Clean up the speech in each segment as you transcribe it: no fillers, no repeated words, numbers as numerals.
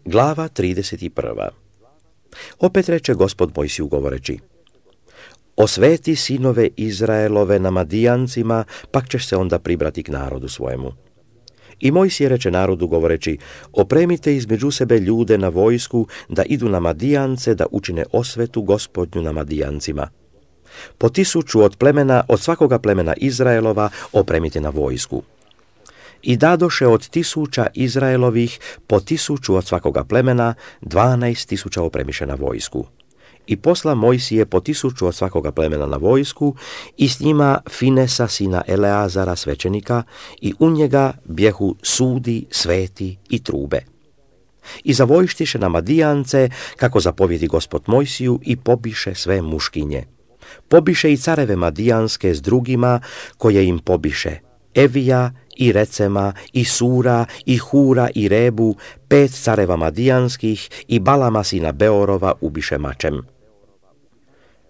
Glava 31. Opet reče Gospod Mojsiju govoreći: Osveti sinove Izraelove na Madijancima, pak ćeš se onda pribrati k narodu svojemu. I Mojsije reče narodu govoreći: Opremite između sebe ljude na vojsku, da idu na Madijance, da učine osvetu Gospodnju na Madijancima. Po 1000 od svakoga plemena Izraelova opremite na vojsku. I dadoše od 1000 Izraelovih po 1000 od svakoga plemena, 12.000 opremiše na vojsku. I posla Mojsije po 1000 od svakoga plemena na vojsku, i s njima Finesa sina Eleazara svećenika, i u njega bjehu sudi, sveti i trube. I zavojštiše na Madijance, kako zapovjedi Gospod Mojsiju, i pobiše sve muškinje. Pobiše i careve Madijanske s drugima, koje im pobiše: Evija, i Recema, i Sura, i Hura, i Rebu, 5 careva Madijanskih, i Balama sina Beorova ubiše mačem.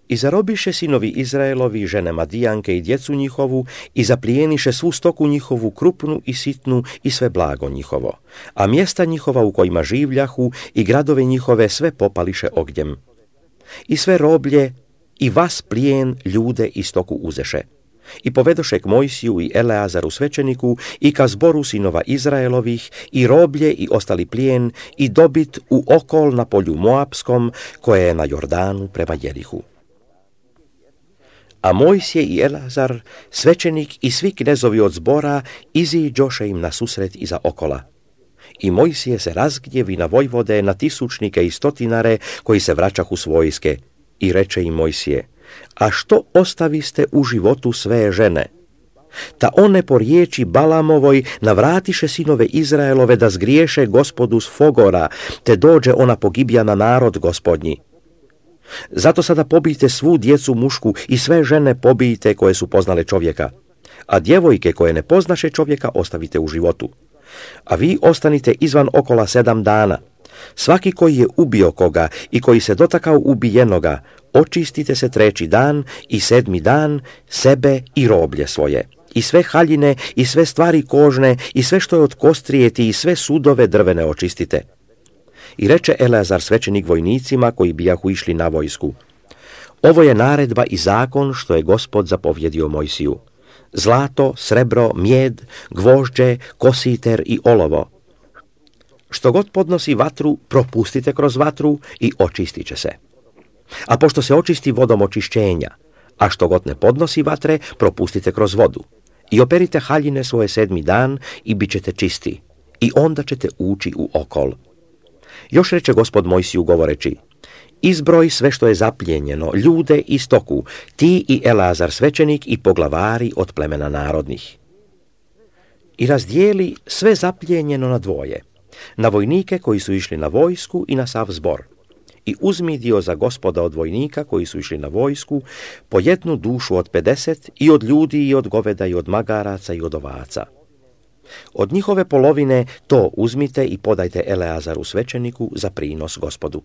I zarobiše sinovi Izraelovi žene Madijanke i djecu njihovu, i zaplijeniše svu stoku njihovu, krupnu i sitnu, i sve blago njihovo, a mjesta njihova u kojima življahu i gradove njihove sve popališe ognjem. I sve roblje i vas plijen ljude i stoku uzeše. I povedoše k Mojsiju i Eleazaru svećeniku i ka zboru sinova Izraelovih, i roblje i ostali plijen i dobit u okol na polju Moapskom, koje je na Jordanu prema Jerihu. A Mojsije i Eleazar, svećenik i svi knezovi od zbora iziđoše im na susret iza okola. I Mojsije se razgnjevi na vojvode, na tisućnike i stotinare koji se vraćahu s vojske, i reče im Mojsije: A što ostaviste u životu sve žene? Ta one po riječi Balamovoj navratiše sinove Izraelove da zgriješe Gospodu s Fogora, te dođe ona pogibja na narod Gospodnji. Zato sada pobijte svu djecu mušku i sve žene pobijte koje su poznale čovjeka, a djevojke koje ne poznaše čovjeka ostavite u životu. A vi ostanite izvan okola 7 dana. Svaki koji je ubio koga i koji se dotakao ubijenoga, očistite se 3. dan i 7. dan, sebe i roblje svoje, i sve haljine i sve stvari kožne i sve što je od kostrijeti i sve sudove drvene očistite. I reče Eleazar svećenik vojnicima koji bijahu išli na vojsku: Ovo je naredba i zakon što je Gospod zapovjedio Mojsiju: zlato, srebro, mjed, gvožđe, kositer i olovo. Što god podnosi vatru, propustite kroz vatru i očistit će se. A pošto se očisti vodom očišćenja, a što god ne podnosi vatre, propustite kroz vodu. I operite haljine svoje 7. dan i bit ćete čisti, i onda ćete ući u okol. Još reče Gospod Mojsiju govoreći: Izbroj sve što je zaplijenjeno, ljude i stoku, ti i Eleazar svećenik i poglavari od plemena narodnih. I razdijeli sve zaplijenjeno na dvoje, na vojnike koji su išli na vojsku i na sav zbor. I uzmi dio za Gospoda od vojnika koji su išli na vojsku, po 1 dušu od 50, i od ljudi i od goveda i od magaraca i od ovaca. Od njihove polovine to uzmite i podajte Eleazaru svećeniku za prinos Gospodu.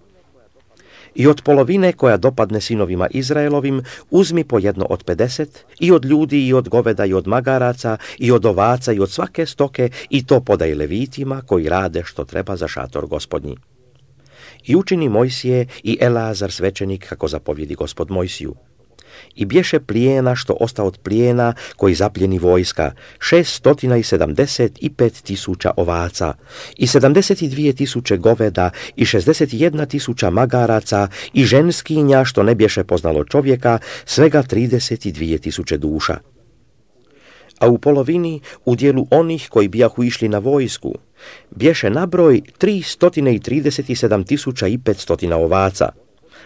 I od polovine koja dopadne sinovima Izraelovim uzmi po 1 od 50, i od ljudi i od goveda i od magaraca i od ovaca i od svake stoke, i to podaj levitima koji rade što treba za šator Gospodnji. I učini Mojsije i Eleazar svećenik kako zapovjedi Gospod Mojsiju. I bješe plijena što osta od plijena koji zapljeni vojska, 675.000 ovaca, i 72.000 goveda, i 61.000 magaraca, i ženskinja što ne bješe poznalo čovjeka, svega 32.000 duša. A u polovini, u dijelu onih koji bijahu išli na vojsku, bješe nabroj 337.500 ovaca,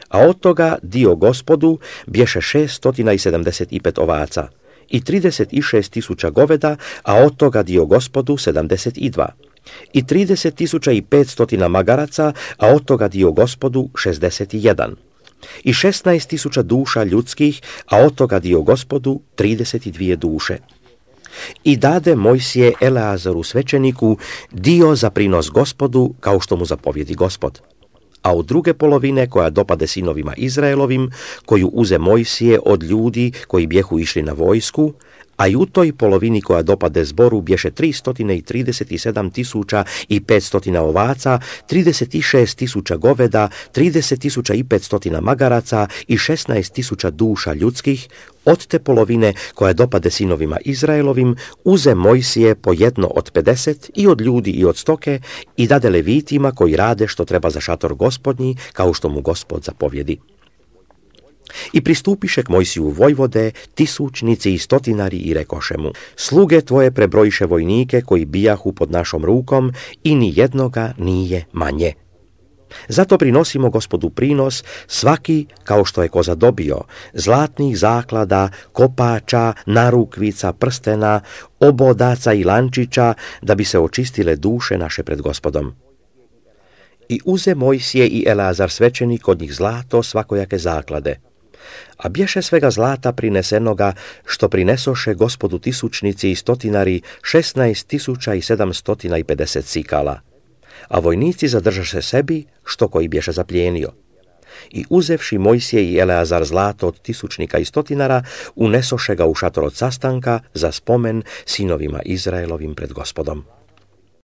a od toga dio Gospodu bješe 675 ovaca, i 36.000 goveda, a od toga dio Gospodu 72, i 30.500 magaraca, a od toga dio Gospodu 61, i 16.000 duša ljudskih, a od toga dio Gospodu 32 duše. I dade Mojsije Eleazaru svećeniku dio za prinos Gospodu, kao što mu zapovjedi Gospod. A od druge polovine koja dopade sinovima Izraelovim, koju uze Mojsije od ljudi koji bjehu išli na vojsku, a i u toj polovini koja dopade zboru bješe 337.500 ovaca, 36.000 goveda, 30.500 magaraca i 16.000 duša ljudskih. Od te polovine koja dopade sinovima Izraelovim uze Mojsije po jedno od 50 i od ljudi i od stoke i dade levitima koji rade što treba za šator Gospodnji, kao što mu Gospod zapovjedi. I pristupiše k Mojsiju vojvode, tisućnici i stotinari i rekoše mu: sluge tvoje prebrojiše vojnike koji bijahu pod našom rukom i ni jednoga nije manje. Zato prinosimo Gospodu prinos, svaki kao što je ko zadobio, zlatnih zaklada, kopača, narukvica, prstena, obodaca i lančića, da bi se očistile duše naše pred Gospodom. I uze Mojsije i Eleazar svećenik od njih zlato svakojake zaklade. A bješe svega zlata prinesenoga, što prinesoše Gospodu tisućnici i stotinari 16.750 sikala. A vojnici zadržaše sebi, što koji bješe zaplijenio. I uzevši Mojsije i Eleazar zlato od tisućnika i stotinara, unesoše ga u šator od sastanka za spomen sinovima Izraelovim pred Gospodom.